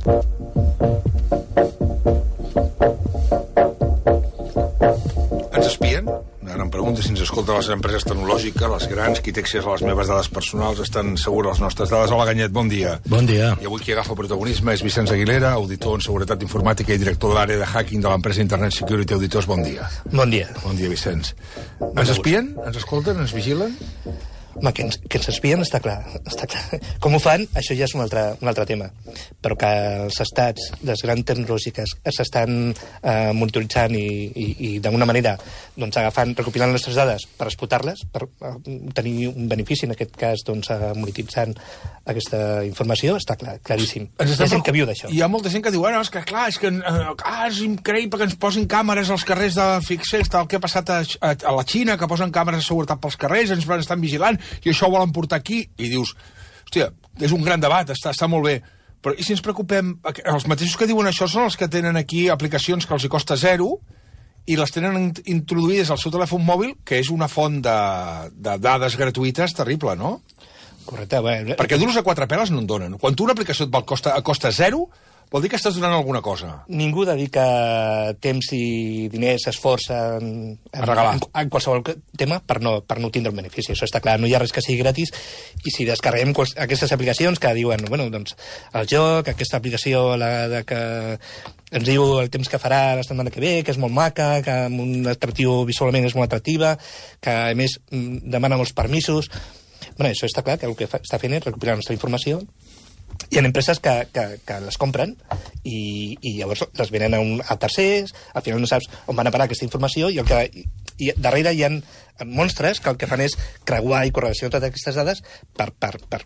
Ens espien? Una gran pregunta. Si ens escolten les empreses tecnològiques, les grans, qui té accés a les meves dades personals, estan segures les nostres dades. Hola, Ganyet, bon dia. Bon dia. I avui qui agafa protagonisme és Vicenç Aguilera, auditor en seguretat informàtica i director de l'àrea de hacking de l'empresa Internet Security Auditors. Bon dia. Bon dia. Bon dia, Vicenç. Ens espien? Ens escolten? Ens vigilen? Home, que ens espien està clar. Com ho fan, això ja és un altre tema. Però que els estats, les grans tecnològiques, s'estan monitoritzant i d'alguna manera doncs, recopilant les nostres dades per explotar-les, per tenir un benefici, en aquest cas, doncs, monetitzant aquesta informació, està clar, claríssim. Hi ha gent que viu d'això. Hi ha molta gent que diu, és que clar, és increïble que ens posin càmeres als carrers de fixers, tal que ha passat a la Xina, que posen càmeres de seguretat pels carrers, ens estan vigilant, i això ho volen portar aquí, i dius, hòstia, és un gran debat, està molt bé, però i si ens preocupem, els mateixos que diuen això són els que tenen aquí aplicacions que els hi costa zero, i les tenen introduïdes al seu telèfon mòbil, que és una font de dades gratuïtes terrible, no? Correcte. Perquè dur-los a quatre peles no en donen. Quan tu una aplicació et costa zero, vol dir que estàs donant alguna cosa. Ningú dedica temps i diners, esforç a regalar en qualsevol tema per no tindre un benefici. Això està clar, no hi ha res que sigui gratis, i si descarreguem aquestes aplicacions que diuen, bueno, doncs, el joc, aquesta aplicació que ens diu el temps que farà la setmana que ve, que és molt maca, que amb un atractiu visualment és molt atractiva, que a més demana molts permisos. Bueno, això està clar, que el que està fent és recopilar la nostra informació. Hi ha empreses que les compren i llavors les venen a tercers, al final no saps on van a parar aquesta informació, i darrere hi ha monstres que el que fan és creuar i correlacionar totes aquestes dades per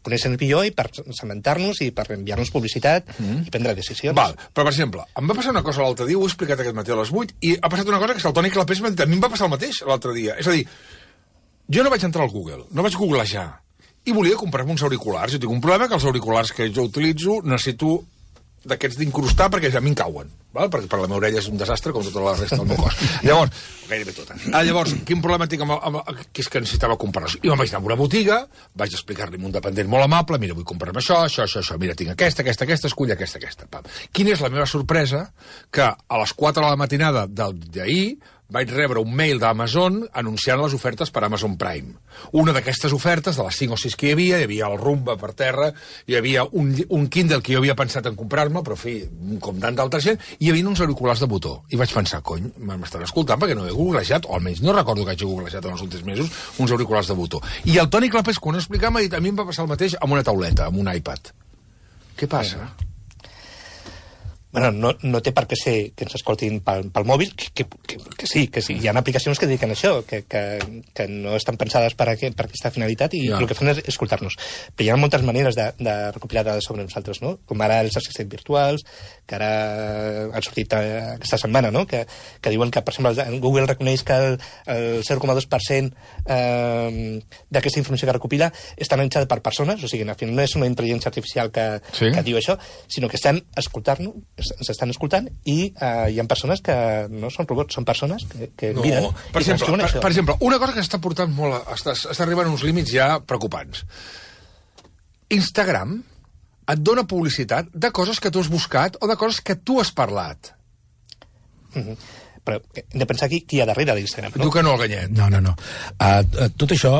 conèixer-nos millor i per cementar-nos i per enviar-nos publicitat i prendre decisions. Val, però per exemple, em va passar una cosa l'altre dia, ho he explicat aquest matí a les 8, i ha passat una cosa que el Toni Clapés m'ha dit, a mi em va passar el mateix l'altre dia. És a dir, jo no vaig entrar al Google, no vaig googlejar, i volia comprar-me uns auriculars. Jo tinc un problema que els auriculars que jo utilitzo necessito d'aquests d'incrustar perquè ja m'hi cauen, val? Perquè per la meva orella és un desastre com tota la resta del meu cos. Llavors, gairebé tota. Llavors, quin problema tinc que és que necessitava comprar-los? I me'n vaig anar a una botiga, vaig explicar-li a un dependent molt amable, mira, vull comprar-me això, mira, tinc aquesta, escull aquesta. Pam. Quina és la meva sorpresa? Que a les 4 de la matinada d'ahir vaig rebre un mail d'Amazon anunciant les ofertes per Amazon Prime. Una d'aquestes ofertes, de les 5 o 6 que hi havia el Rumba per terra, hi havia un Kindle que jo havia pensat en comprar-me, però, com tant d'altra gent, hi havia uns auriculars de botó. I vaig pensar, cony, m'estan escoltant perquè no he googlejat, o almenys no recordo que hagi googlejat en els últims mesos, uns auriculars de botó. I el Toni Clapés, quan ho explicava, m'ha dit, a mi em va passar el mateix amb una tauleta, amb un iPad. Què passa? Bueno, no té per què ser que ens escoltin pel mòbil, que sí. Hi ha aplicacions que dediquen a això, que no estan pensades per aquesta finalitat, i el que fan és escoltar-nos. Però hi ha moltes maneres de recopilar dades sobre nosaltres, no? Com ara els assistents virtuals, que ara han sortit aquesta setmana, no? Que diuen que, per exemple, Google reconeix que el 0,2% d'aquesta informació que recopila està analitzada per persones, o sigui, al final no és una intel·ligència artificial que diu això, sinó que estan escoltant-nos, ens estan escoltant, i hi ha persones que no són robots, són persones que miren. Per exemple, una cosa que està portant molt... Està arribant a uns límits ja preocupants. Instagram et dona publicitat de coses que tu has buscat o de coses que tu has parlat. Però hem de pensar qui hi ha darrere d'Instagram, no? Diu que no, el Ganyet. No. Tot això,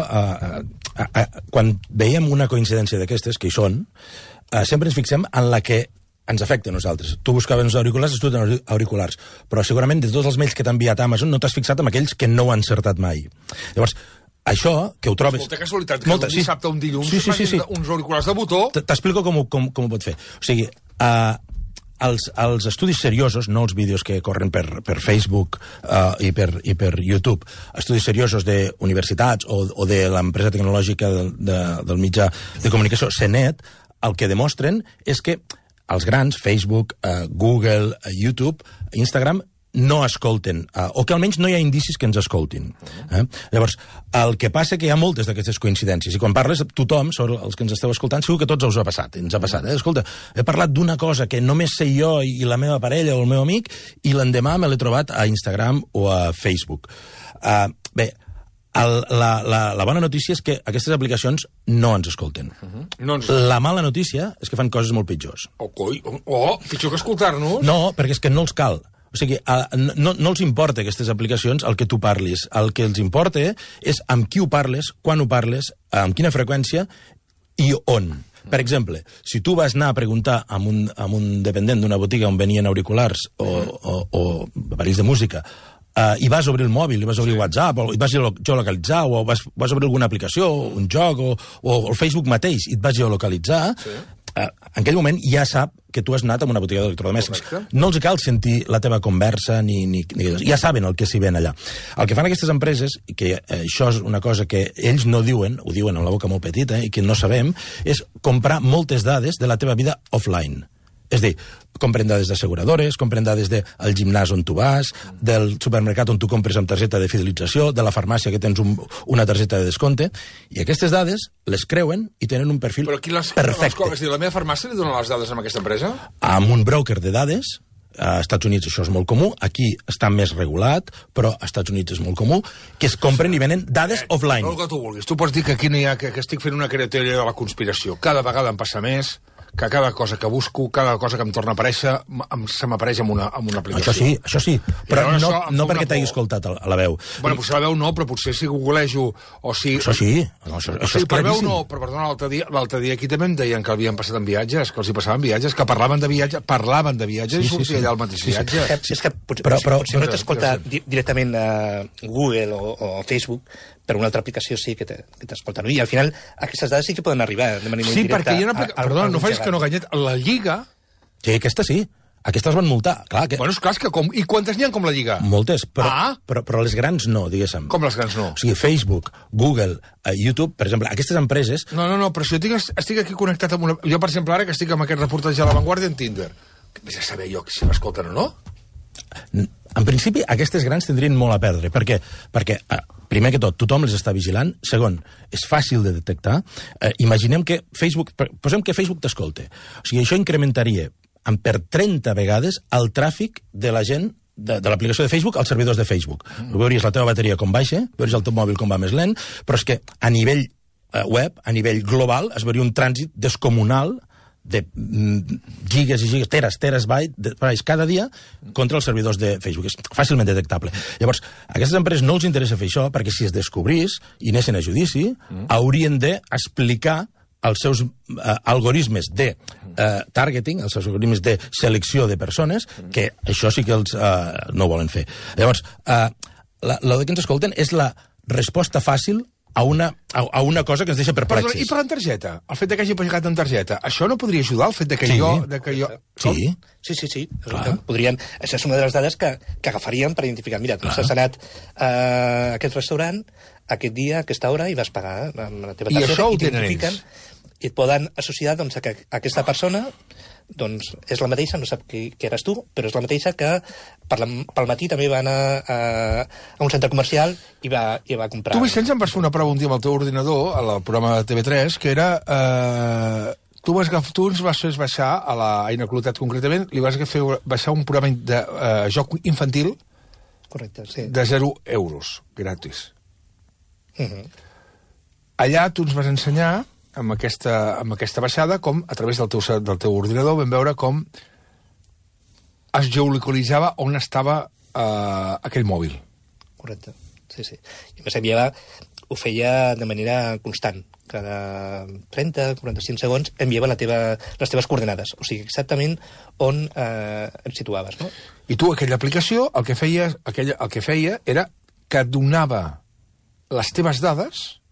quan veiem una coincidència d'aquestes, que hi són, sempre ens fixem en la que ens afecta a nosaltres. Tu buscaves uns auriculars, tu tens auriculars, però segurament de tots els mails que t'ha enviat Amazon no t'has fixat en aquells que no ho han encertat mai. Llavors, això, que ho trobes... Molta casualitat, que un dissabte o un dilluns uns auriculars de botó... T'explico com ho pot fer. O sigui, els estudis seriosos, no els vídeos que corren per Facebook i per YouTube, estudis seriosos d'universitats o de l'empresa tecnològica del mitjà de comunicació, CNET, el que demostren és que els grans, Facebook, Google, YouTube, Instagram, no escolten, o que almenys no hi ha indicis que ens escoltin. Llavors, el que passa que hi ha moltes d'aquestes coincidències, i quan parles tothom, sobre els que ens esteu escoltant, segur que tots us ha passat, ens ha passat. Escolta, he parlat d'una cosa que només sé jo i la meva parella o el meu amic, i l'endemà me l'he trobat a Instagram o a Facebook. Bé, La bona notícia és que aquestes aplicacions no ens escolten. La mala notícia és que fan coses molt pitjors. Pitjor que escoltar-nos? No, perquè és que no els cal. O sigui, no els importa aquestes aplicacions el que tu parlis. El que els importa és amb qui ho parles, quan ho parles, amb quina freqüència i on. Per exemple, si tu vas anar a preguntar amb un dependent d'una botiga on venien auriculars o aparells de música, i vas obrir el mòbil, i vas obrir WhatsApp, o i vas geolocalitzar, o vas obrir alguna aplicació, un joc, o el Facebook mateix, i et vas geolocalitzar, en aquell moment ja sap que tu has anat a una botiga d'electrodomèstics. No els cal sentir la teva conversa, ja saben el que s'hi ven allà. El que fan aquestes empreses, que això és una cosa que ells no diuen, ho diuen amb la boca molt petita, i que no sabem, és comprar moltes dades de la teva vida offline. És a dir, compren dades d'asseguradores, compren dades del gimnàs on tu vas, del supermercat on tu compres amb targeta de fidelització, de la farmàcia que tens una targeta de descompte, i aquestes dades les creuen i tenen un perfil perfecte. La meva farmàcia li dona les dades a aquesta empresa? Amb un broker de dades, a Estats Units això és molt comú, aquí està més regulat, però a Estats Units és molt comú, que es compren i venen dades offline. El que tu vulguis. Tu pots dir que aquí no hi ha, que estic fent una teoria de la conspiració. Cada vegada em passa més que cada cosa que busco, cada cosa que em torna a aparèixer, se m'apareix amb una aplicació. Això sí, però no perquè t'hagi escoltat a la veu. Bueno, potser la veu no, però potser si googlejo o si... Això sí, això és per veu claríssim. no, però perdona, l'altre dia aquí també em deien que havien passat en viatges, que els hi passaven viatges, que parlaven de viatges i sortia allà el mateix viatge. És que potser no t'escolta directament a Google o Facebook, per una altra aplicació sí que t'escolta. I al final aquestes dades sí que poden arribar de manera indirecta. Sí, perquè hi ha una aplicació... Perdona, no facis que no ganyet. La Lliga... Sí, aquesta sí. Aquestes van multar. Clar, que... Bueno, és clar, que I quantes n'hi ha com la Lliga? Moltes, però les grans no, diguéssim. Com les grans no? O sigui, Facebook, Google, YouTube, per exemple, aquestes empreses... No, però si jo estic aquí connectat amb una... Jo, per exemple, ara que estic amb aquest reportatge a La Vanguardia en Tinder, vés a saber jo si m'escolten o no? En principi, aquestes grans tindrien molt a perdre. Per què? Perquè, primer que tot, tothom les està vigilant. Segon, és fàcil de detectar. Imaginem que Facebook... Posem que Facebook t'escolte. O sigui, això incrementaria per 30 vegades el tràfic de la gent de l'aplicació de Facebook als servidors de Facebook. Veuries la teva bateria com baixa, veuries el teu mòbil com va més lent, però és que a nivell web, a nivell global, es veuria un trànsit descomunal de gigas i gigas, teres bytes cada dia contra els servidors de Facebook. És fàcilment detectable. Llavors, a aquestes empreses no els interessa fer això, perquè si es descobrís i anessin a judici, haurien d'explicar els seus algoritmes de targeting, els seus algoritmes de selecció de persones, que això sí que els no volen fer. Llavors, el que ens escolten és la resposta fàcil a una cosa que ens deixa perplexes. I per la targeta? El fet que hagi pagat en targeta, això no podria ajudar el fet que jo... Sí. Sí. Podrien... Això és una de les dades que agafarien per identificar. Mira, tu has anat a aquest restaurant aquest dia, a aquesta hora, i vas pagar amb la teva targeta. I això ho tenen ells. I et poden associar doncs, a que aquesta persona doncs, és la mateixa, no sap qui eres tu, però és la mateixa que pel matí també va anar a un centre comercial i va comprar... Tu, Vicenç, em vas fer una prova un dia amb el teu ordinador, al programa de TV3, que era... Tu ens vas fer baixar, a la Aina Clotet concretament, li vas fer baixar un programa de joc infantil. Correcte, sí. De 0 euros, gratis. Allà tu ens vas ensenyar amb aquesta baixada com, a través del teu ordinador, vam veure com es geolocalitzava on estava aquell mòbil. Correcte, sí. I a més ho feia de manera constant. Cada 30-45 segons enviava les teves coordenades. O sigui, exactament on et situaves, no? I tu, aquella aplicació, el que feia era que donava les teves dades,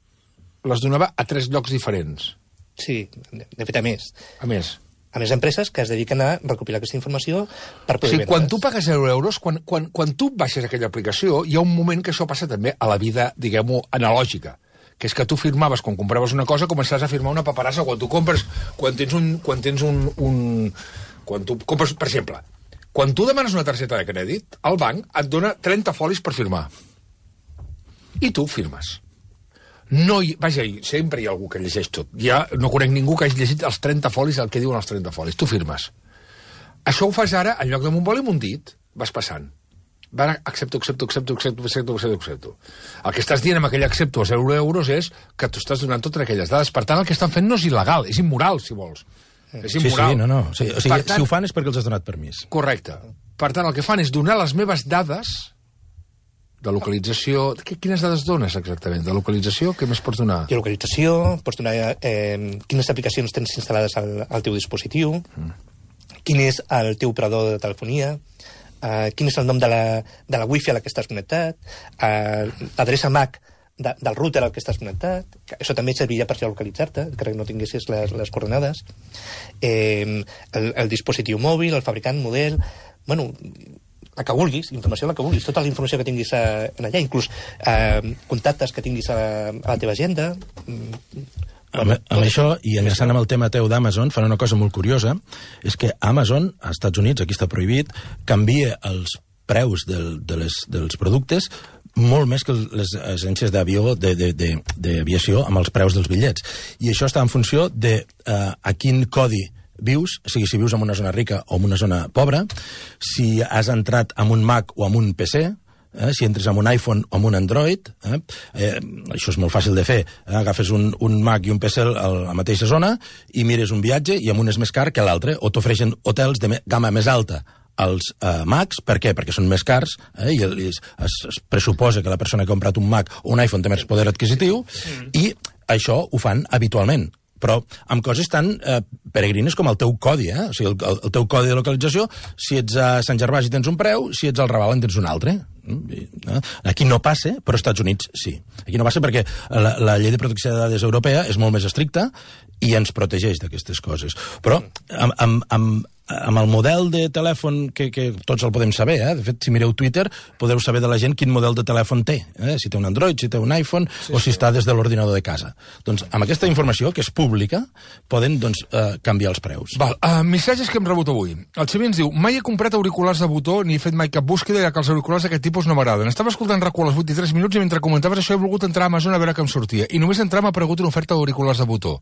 les donava a 3 llocs diferents. Sí, de fet, a més. A més empreses que es dediquen a recopilar aquesta informació per poder vendre's. Quan tu pagues 0 euros, quan tu baixes aquella aplicació, hi ha un moment que això passa també a la vida, diguem-ho, analògica, que és que tu firmaves, quan compraves una cosa, començaràs a firmar una paperassa quan tu compres, quan tu compres, per exemple, quan tu demanes una targeta de crèdit, el banc et dona 30 folis per firmar. I tu firmes. Sempre hi ha algú que llegeix tot. Ja no conec ningú que hagi llegit els 30 folis, el que diuen els 30 folis. Tu firmes. Això ho fas ara, en lloc de un boli amb un dit, vas passant. Ara accepto. El que estàs dient amb aquell accepto a 0 euros és que tu estàs donant totes aquelles dades. Per tant, el que estan fent no és il·legal, és immoral, si vols. És immoral. Sí, o sigui, si ho fan és perquè els has donat permís. Correcte. Per tant, el que fan és donar les meves dades de localització... Quines dades dones, exactament? De localització, què més pots donar? De localització, pots donar quines aplicacions tens instal·lades al teu dispositiu, quin és el teu operador de telefonia, quin és el nom de la wifi a la que estàs connectat, l'adreça MAC del router al que estàs connectat, que això també serviria per geolocalitzar-te, que no tinguessis les coordenades, el dispositiu mòbil, el fabricant, model... Bueno, la que vulguis, informació la que vulguis, tota la informació que tinguis allà, inclús contactes que tinguis a la teva agenda... Amb això, i enllaçant amb el tema teu d'Amazon, fan una cosa molt curiosa, és que Amazon, als Estats Units, aquí està prohibit, canvia els preus dels productes molt més que les agències d'aviació amb els preus dels bitllets. I això està en funció de a quin codi vius, o sigui, si vius en una zona rica o en una zona pobra, si has entrat amb un Mac o amb un PC, si entres amb un iPhone o amb un Android, això és molt fàcil de fer, agafes un Mac i un PC a la mateixa zona i mires un viatge i amb un és més car que l'altre, o t'ofereixen hotels de gamma més alta als Macs. Per què? Perquè són més cars, i es pressuposa que la persona que ha comprat un Mac o un iPhone té més poder adquisitiu, i això ho fan habitualment, però amb coses tan peregrines com el teu codi, o sigui, el teu codi de localització. Si ets a Sant Gervasi tens un preu, si ets al Raval en tens un altre. Aquí no passa, però als Estats Units sí. Aquí no passa perquè la llei de protecció de dades europea és molt més estricta i ens protegeix d'aquestes coses. Però amb el model de telèfon que tots el podem saber, de fet, si mireu Twitter, podeu saber de la gent quin model de telèfon té, si té un Android, si té un iPhone, o si està des de l'ordinador de casa. Doncs amb aquesta informació, que és pública, poden canviar els preus. Missatges que hem rebut avui. El Xavi ens diu: mai he comprat auriculars de botó ni he fet mai cap búsqueda, ja que els auriculars d'aquest tipus no m'agraden. Estava escoltant RAC1 a les 8 i 3 minuts i mentre comentaves això he volgut entrar a Amazon a veure què em sortia. I només entrar m'ha aparegut una oferta d'auriculars de botó.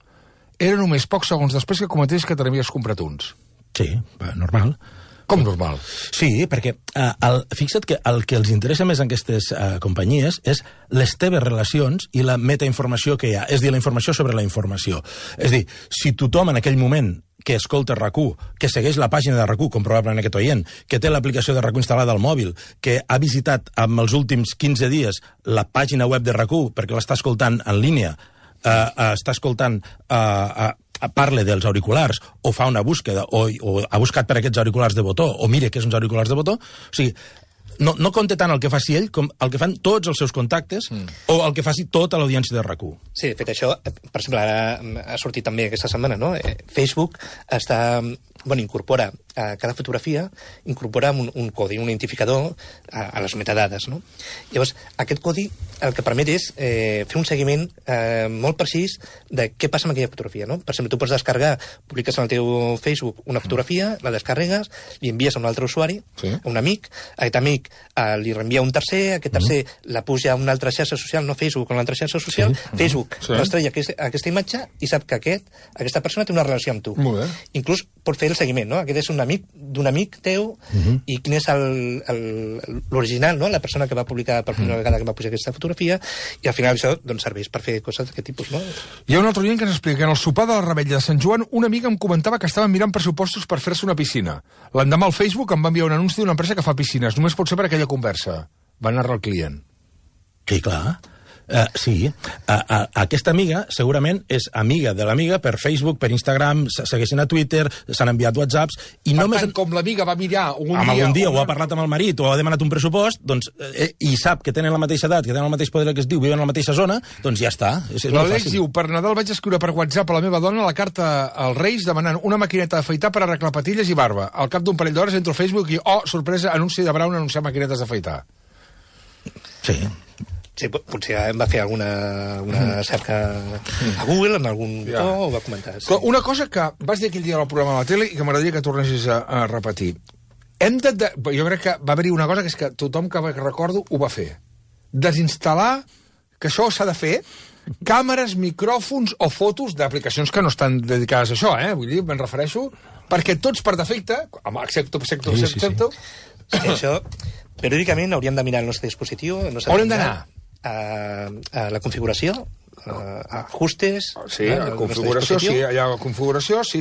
Era només pocs segons després que comentés que te n'havies comprat uns. Sí, normal. Com normal? Sí, perquè fixa't que el que els interessa més a aquestes companyies és les teves relacions i la metainformació que hi ha, és dir, la informació sobre la informació. És dir, si tothom en aquell moment que escolta RAC1, que segueix la pàgina de RAC1, com probablement aquest oient, que té l'aplicació de RAC1 instal·lada al mòbil, que ha visitat en els últims 15 dies la pàgina web de RAC1 perquè l'està escoltant en línia, està escoltant... parle dels auriculars, o fa una búsqueda, o ha buscat per aquests auriculars de botó, o mira que és uns auriculars de botó, o sigui, no compta tant el que faci ell com el que fan tots els seus contactes, o el que faci tota l'audiència de RAC1. Sí, de fet, això, per exemple, ara ha sortit també aquesta setmana, no? Facebook incorpora a cada fotografia, incorpora un codi, un identificador a les metadades, no? Llavors, aquest codi el que permet és fer un seguiment molt precís de què passa amb aquella fotografia, no? Per exemple, tu pots descarregar, publiques en el teu Facebook una fotografia, la descarregues, li envies a un altre usuari, a un amic, aquest amic li reenvia un tercer, aquest tercer la puja a una altra xarxa social, no Facebook, a una altra xarxa social, Facebook rastreja aquesta imatge i sap que aquesta persona té una relació amb tu. Inclús pot fer el seguiment, no? Aquest és un amic d'un amic teu i quin és l'original, no? La persona que va publicar per primera vegada que va pujar aquesta fotografia, i al final això serveix per fer coses d'aquest tipus, no? Hi ha un altre oient que ens explica que en el sopar de la Revetlla de Sant Joan una amiga em comentava que estaven mirant pressupostos per fer-se una piscina. L'endemà al Facebook em va enviar un anunci d'una empresa que fa piscines. Només pot ser per aquella conversa. Va anar al client. Sí, clar. Sí, aquesta amiga segurament és amiga de l'amiga per Facebook, per Instagram, segueixen a Twitter, s'han enviat WhatsApps i per tant, com l'amiga va mirar algun dia o ha parlat amb el marit o ha demanat un pressupost, doncs, i sap que tenen la mateixa edat, que tenen el mateix poder que es diu, viuen a la mateixa zona, doncs ja està. L'Àlex diu: per Nadal vaig escriure per WhatsApp a la meva dona la carta als Reis demanant una maquineta d'afaitar per arreglar patilles i barba. Al cap d'un parell d'hores entro a Facebook i, sorpresa, anunci de Braun anunciar maquinetes d'afaitar. Sí, potser va fer alguna cerca a Google, en algun botó, o va comentar. Sí. Una cosa que vas dir aquell dia al programa de la tele i que m'agradaria que tornessis a repetir. Jo crec que va haver-hi una cosa que és que tothom que recordo ho va fer. Desinstal·lar, que això s'ha de fer, càmeres, micròfons o fotos d'aplicacions que no estan dedicades a això, vull dir, me'n refereixo, perquè tots per defecte, accepto... Sí, això... periòdicament hauríem de mirar el nostre dispositiu. Haurem d'anar a la configuració, a ajustes... Sí, a configuració, sí, allà a configuració, sí.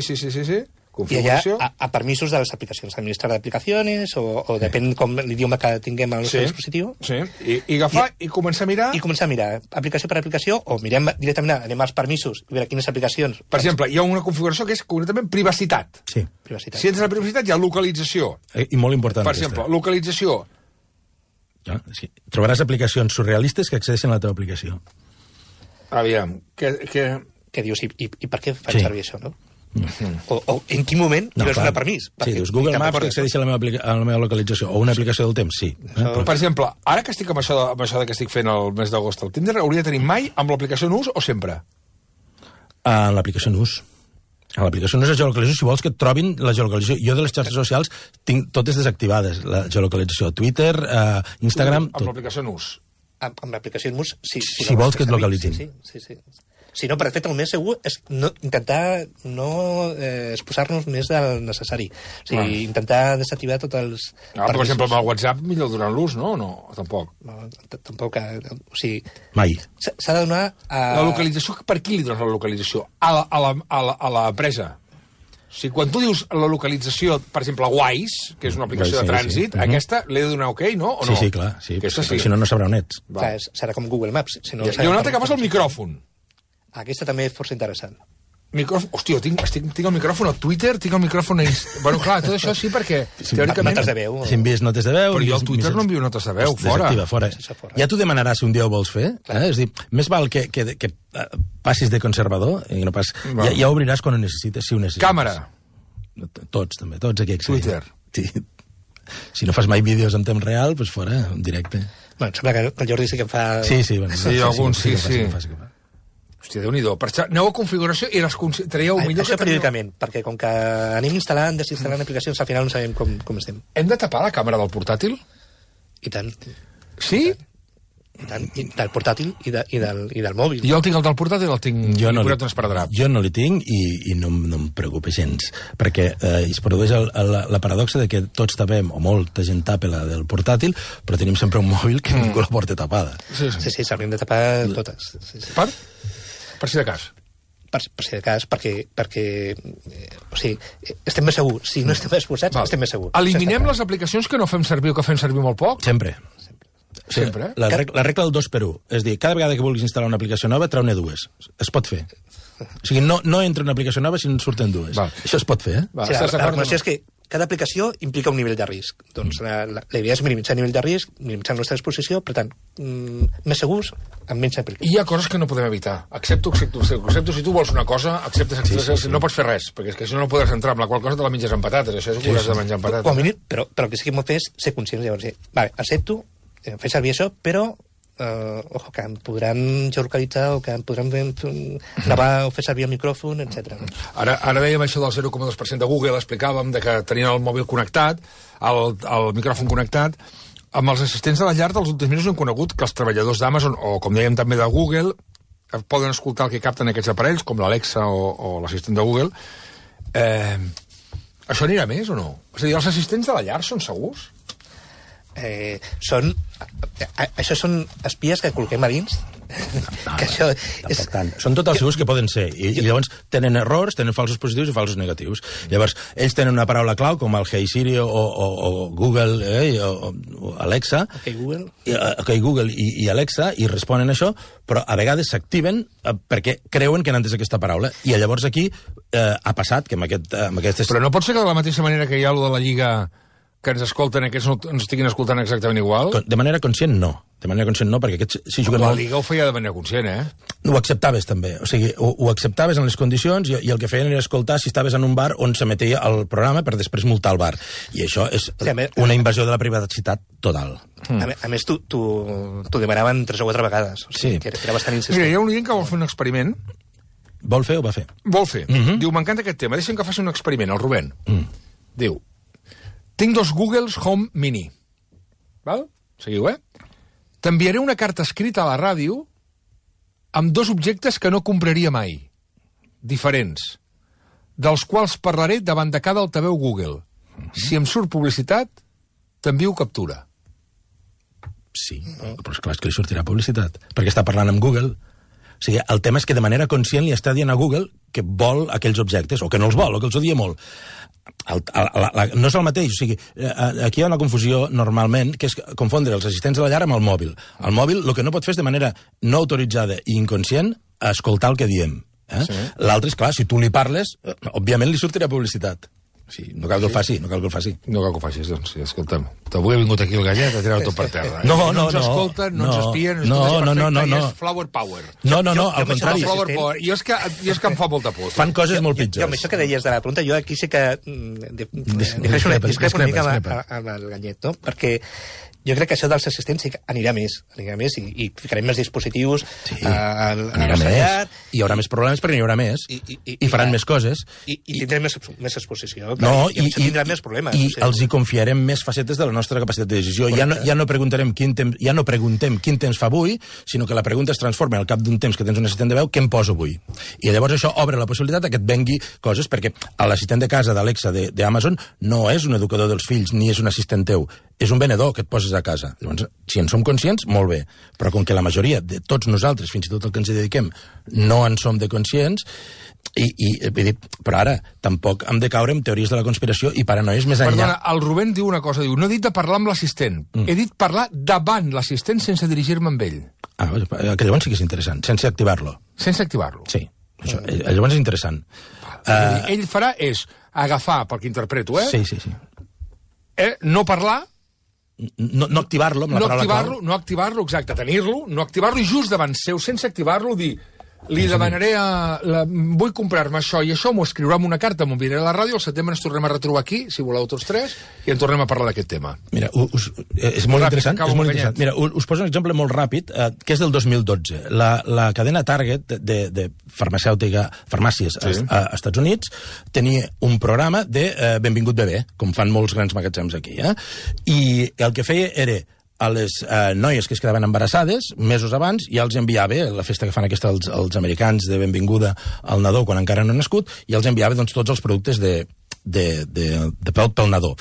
I allà a permisos de les aplicacions, administrar d'aplicacions, o depèn com l'idioma que tinguem al nostre dispositiu. Sí, i agafar i començar a mirar... I començar a mirar aplicació per aplicació, o mirem directament, anem als permisos, i veure quines aplicacions... Per exemple, hi ha una configuració que és concretament privacitat. Sí. Privacitat. Si entres a privacitat hi ha localització. I molt important. Per exemple, localització. Ja, sí. Trobaràs aplicacions surrealistes que accedeixen a la teva aplicació. Aviam, Que dius, i per què fan servir això, no? O en quin moment li vas donar permís? Sí, dius, Google Maps que accedeix a la meva localització, o una aplicació del temps, sí. Per exemple, ara que estic amb això que estic fent el mes d'agost al Tinder, hauria de tenir mai amb l'aplicació en ús o sempre? A l'aplicació en ús. A l'aplicació no és la geolocalització, si vols que et trobin la geolocalització. Jo de les xarxes socials tinc totes desactivades, la geolocalització. Twitter, Instagram... Amb l'aplicació en ús. Amb l'aplicació en ús, sí. Si vols que et localitzin. Sí. Si no, per fet, el més segur és intentar no exposar-nos més del necessari. O sigui, intentar desactivar tots els... Per exemple, amb el WhatsApp millor durant l'ús, no? No, tampoc. No, tampoc. O sigui... Mai. S'ha de donar... La localització, per qui li dones la localització? A l'empresa. O sigui, quan tu dius la localització, per exemple, Wise, que és una aplicació de trànsit, aquesta l'he de donar ok, no? O no? Sí, clar. Sí, aquesta sí. Si no, no sabrà on ets. Clar, serà com Google Maps. Si no, hi ha una altra que passa el micròfon. Aquesta també és força interessant. Hòstia, tinc el micròfon a Twitter, tinc el micròfon a Instagram... Bueno, clar, tot això sí, perquè... Teòricament... Notes de veu. Si envies notes de veu... Però jo al Twitter no envio notes de veu, fora. Fora. Ja t'ho demanaràs si un dia ho vols fer. És dir, més val que passis de conservador i no pas... Ja obriràs quan ho necessites, si ho necessites. Càmera. Tots, també, tots aquí accedeixen. Twitter. Sí. Si no fas mai vídeos en temps real, doncs fora, en directe. Bueno, sembla que el Jordi sí que en fa... Sí, bueno. Sí, alguns sí. Hòstia, Déu-n'hi-do. Aneu a configuració i les traieu millor... Això periòdicament, perquè com que anem instal·lant, desinstal·lant aplicacions, al final no sabem com estem. Hem de tapar la càmera del portàtil? I tant. Sí? I tant, del portàtil i del mòbil. Jo el tinc, el del portàtil, el tinc posat en esparadrap. Jo no l'hi tinc i no em preocupa gens, perquè es produeix la paradoxa de que tots tapem, o molta gent tapa la del portàtil, però tenim sempre un mòbil que ningú la porta tapada. Sí, s'haurien de tapar totes. Per si de cas. Per si de cas, perquè o sigui, estem més segurs. Si no estem exposats, estem més segurs. Eliminem les aplicacions que no fem servir o que fem servir molt poc? Sempre. Sempre. La regla del 2x1. És dir, cada vegada que vulguis instal·lar una aplicació nova, treu-ne dues. Es pot fer. O sigui, no entra una aplicació nova si en surten dues. Això es pot fer, La recomanació és que cada aplicació implica un nivell de risc. Doncs la idea és minimitzar el nivell de risc, minimitzar la nostra exposició, per tant, més segurs, amb menys aplicacions. Hi ha coses que no podem evitar. Accepto. Si tu vols una cosa, acceptes. No pots fer res, perquè és que si no podràs entrar amb la qual cosa te la menges amb patates. Això és que hauràs de menjar amb patates. Però el que sí que hem de fer és ser conscients. Llavors, vale, accepto, fer servir això, però ojo, que em podran geolocalitzar o que em podran gravar o fer servir el micròfon, etc. Ara dèiem això del 0,2% de Google, explicàvem de que tenien el mòbil connectat, el micròfon connectat. Amb els assistents de la llar dels últims mesos hem conegut que els treballadors d'Amazon, o com dèiem també de Google, poden escoltar el que capten aquests aparells, com l'Alexa o l'assistent de Google. Això anirà més o no? És a dir, els assistents de la llar són segurs? Això són espies que col·loquem a dins. Que això és... Són total segurs que poden ser. I llavors tenen errors, tenen falsos positius i falsos negatius. Llavors, ells tenen una paraula clau, com el Hey Siri o Google o Alexa. Google i Alexa, i responen això, però a vegades s'activen perquè creuen que han entès aquesta paraula. I llavors aquí ha passat que amb aquestes... Però no pot ser que de la mateixa manera que hi ha allò de la Lliga que ens escolten, aquests no ens estiguin escoltant exactament igual? De manera conscient, no. De manera conscient, no, perquè aquests... Si juguen la Liga ho feia de manera conscient, Ho acceptaves, també. O sigui, ho acceptaves en les condicions i el que feien era escoltar si estaves en un bar on s'emetia el programa per després multar el bar. I això és una invasió de la privacitat total. A més, t'ho demanaven 3 o 4 vegades. O sigui, que era bastant insistent. Mira, hi ha un oient que vol fer un experiment. Vol fer o va fer? Vol fer. Diu, m'encanta aquest tema. Deixa'm que faci un experiment, el Rubén. Diu, tinc 2 Googles Home Mini. Val? Seguiu, T'enviaré una carta escrita a la ràdio amb 2 objectes que no compraria mai. Diferents. Dels quals parlaré davant de cada altaveu Google. Si em surt publicitat, t'envio captura. Sí, però esclar, és que li sortirà publicitat, perquè està parlant amb Google. O sigui, el tema és que de manera conscient li està dient a Google que vol aquells objectes, o que no els vol, o que els odia molt. No és el mateix, o sigui, aquí hi ha una confusió normalment, que és confondre els assistents de la llar amb el mòbil. El mòbil el que no pot fer és de manera no autoritzada i inconscient escoltar el que diem. Sí. L'altre és, clar, si tu li parles, òbviament li sortirà publicitat. Sí, no cal que el faci, no cal que el faci. No cal que ho facis, doncs, sí, escolta'm. Avui ha vingut aquí el gallet a tirar tot per terra. No ens escolten, no ens espien, no, i és flower power. No, al contrari. Jo és que em fa molta por. Fan coses molt pitjors. Jo, amb això que deies de la pregunta, jo aquí sí que discrepo una mica amb el gallet, no? Perquè jo crec que això dels assistents sí que anirà més i ficarem més dispositius a la nostra llar. Hi haurà més problemes perquè n'hi haurà més i faran més coses. I tindrem més exposició. I tindrem més problemes. I els hi confiarem més facetes de la nostra capacitat de decisió. Ja no preguntem quin temps fa avui, sinó que la pregunta es transforma al cap d'un temps que tens un assistent de veu, què em poso avui? I llavors això obre la possibilitat que et vengui coses, perquè l'assistent de casa d'Alexa d'Amazon no és un educador dels fills ni és un assistent teu, és un venedor que et poses a casa. Llavors, si en som conscients, molt bé. Però com que la majoria de tots nosaltres, fins i tot el que ens hi dediquem, no en som de conscients, però ara tampoc hem de caure en teories de la conspiració i paranoies més enllà. Perdona, el Rubén diu una cosa, diu, no he dit de parlar amb l'assistent, he dit parlar davant l'assistent sense dirigir-me amb ell. Que llavors sí que és interessant, sense activar-lo. Sense activar-lo? Sí, això, llavors és interessant. Ell farà és agafar, perquè interpreto, Sí. No parlar, no activar-lo amb la paraula clau. No activar-lo, exacte, tenir-lo, no activar-lo i just davant seu, sense activar-lo, dir, li demanaré vull comprar-me això i això, m'ho escriurà en una carta, m'ho enviaré a la ràdio, al setembre ens tornem a retrobar aquí, si voleu tots tres, i en tornem a parlar d'aquest tema. Mira, és molt interessant. Mira, us poso un exemple molt ràpid, que és del 2012. La cadena Target de farmàcies als Estats Units tenia un programa de Benvingut bebè, com fan molts grans magatzems aquí, i el que feia era a les noies que es quedaven embarassades mesos abans ja els enviava la festa que fan aquesta els americans de benvinguda al nadó quan encara no ha nascut, i els enviava doncs, tots els productes de pel nadó.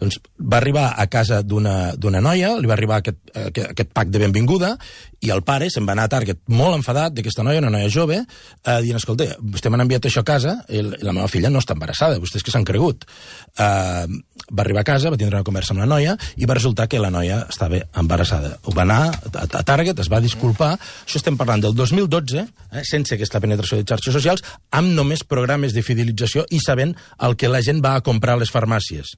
Doncs va arribar a casa d'una noia, li va arribar aquest pack de benvinguda, i el pare se'n va anar a Target molt enfadat d'aquesta noia, una noia jove, dient, escolta, vostè m'han enviat això a casa i la meva filla no està embarassada, vostès que s'han cregut. Va arribar a casa, va tindre una conversa amb la noia i va resultar que la noia estava embarassada. Ho va anar a Target, es va disculpar. Això estem parlant del 2012, sense aquesta penetració de xarxes socials, amb només programes de fidelització i sabent el que la gent va a comprar a les farmàcies.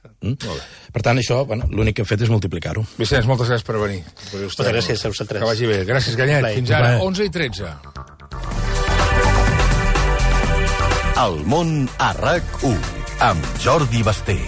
Per tant, això, l'únic que hem fet és multiplicar-ho. Vicenç, moltes gràcies per venir. Moltes gràcies a vosaltres. Que vagi bé. Gràcies, Gallet. Fins ara, 11:13. El món a RAC1, amb Jordi Basté.